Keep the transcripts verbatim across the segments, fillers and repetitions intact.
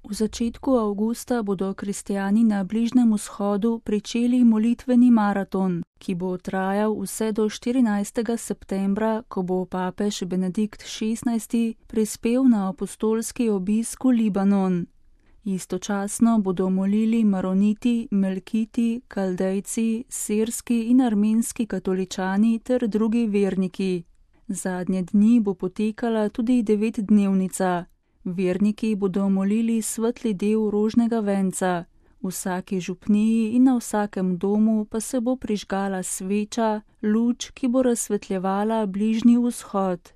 V začetku avgusta bodo kristjani na Bližnjem vzhodu pričeli molitveni maraton, ki bo trajal vse do štirinajstega septembra, ko bo papež Benedikt šestnajsti prispel na apostolski obisk v Libanon. Istočasno bodo molili maroniti, melkiti, kaldejci, sirski in armenski katoličani ter drugi verniki. Zadnje dni bo potekala tudi devetdnevnica. Verniki bodo molili svetli del rožnega venca. V vsaki župniji in na vsakem domu pa se bo prižgala sveča, luč, ki bo razsvetljevala Bližnji vzhod.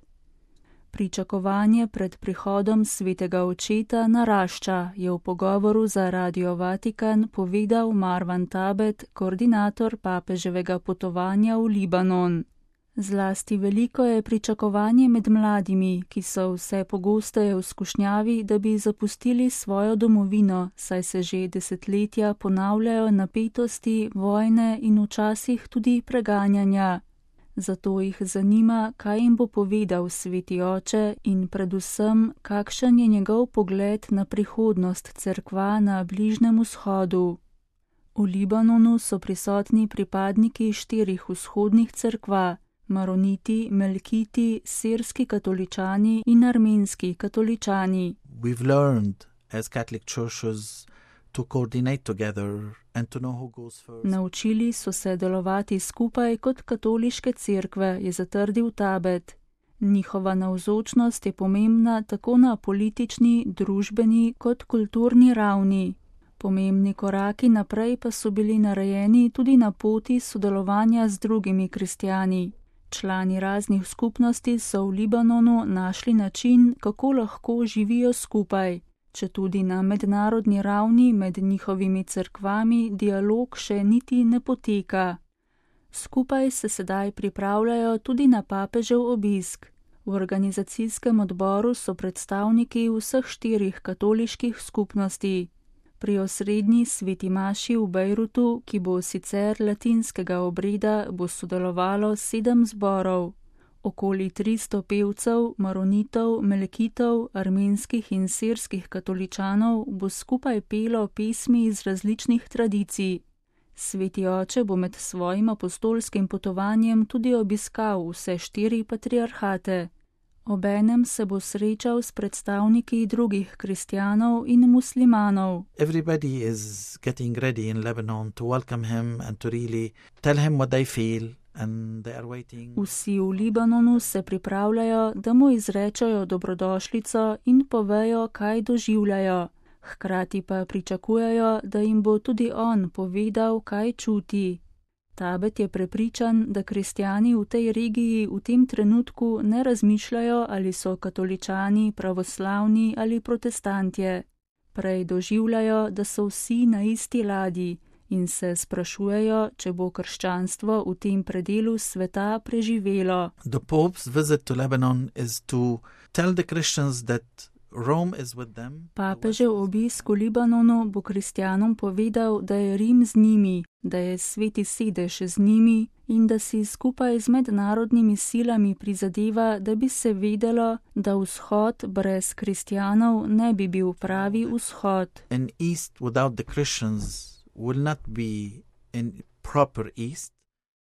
Pričakovanje pred prihodom svetega očeta narašča, je v pogovoru za Radio Vatikan povedal Marwan Tabet, koordinator papeževega potovanja v Libanon. Zlasti veliko je pričakovanje med mladimi, ki so vse pogosteje v skušnjavi, da bi zapustili svojo domovino, saj se že desetletja ponavljajo napetosti, vojne in včasih tudi preganjanja. Zato jih zanima, kaj jim bo povedal sveti oče in predvsem, kakšen je njegov pogled na prihodnost cerkva na Bližnjem vzhodu. V Libanonu so prisotni pripadniki štirih vzhodnih cerkva: maroniti, melkiti, sirski katoličani in armenski katoličani. We've learned as Catholic churches to coordinate together and to know who goes first. Naučili so se delovati skupaj kot katoliške cerkve, je zatrdil Tabet. Njihova navzočnost je pomembna tako na politični, družbeni kot kulturni ravni. Pomembni koraki naprej pa so bili narejeni tudi na poti sodelovanja z drugimi kristjani. Člani raznih skupnosti so v Libanonu našli način, kako lahko živijo skupaj. Četudi na mednarodni ravni med njihovimi cerkvami dialog še niti ne poteka. Skupaj se sedaj pripravljajo tudi na papežev obisk. V organizacijskem odboru so predstavniki vseh štirih katoliških skupnosti. Pri osrednji sveti maši v Bejrutu, ki bo sicer latinskega obreda, bo sodelovalo sedem zborov. Okoli tristo pevcev, maronitov, melkitov, armenskih in sirskih katoličanov bo skupaj pelo pesmi iz različnih tradicij. Sveti oče bo med svojim apostolskim potovanjem tudi obiskal vse štiri patriarhate. Obenem se bo srečal s predstavniki drugih kristjanov in muslimanov. Everybody is getting ready in Lebanon to welcome him and to really tell him what they feel. Vsi v Libanonu se pripravljajo, da mu izrečajo dobrodošlico in povejo, kaj doživljajo. Hkrati pa pričakujejo, da jim bo tudi on povedal, kaj čuti. Tabet je prepričan, da kristjani v tej regiji v tem trenutku ne razmišljajo, ali so katoličani, pravoslavni ali protestantje. Prej doživljajo, da so vsi na isti ladji in se sprašujejo, če bo krščanstvo v tem predelu sveta preživelo. The Pope's visit to Lebanon is to tell the Christians that Rome is with them. Papežev obisk v Libanonu bo kristjanom povedal, da je Rim z njimi, da je sveti sedež z njimi in da si skupaj z mednarodnimi silami prizadeva, da bi se vedelo, da vzhod brez kristjanov ne bi bil pravi vzhod. An east without the Christians will not be in proper east.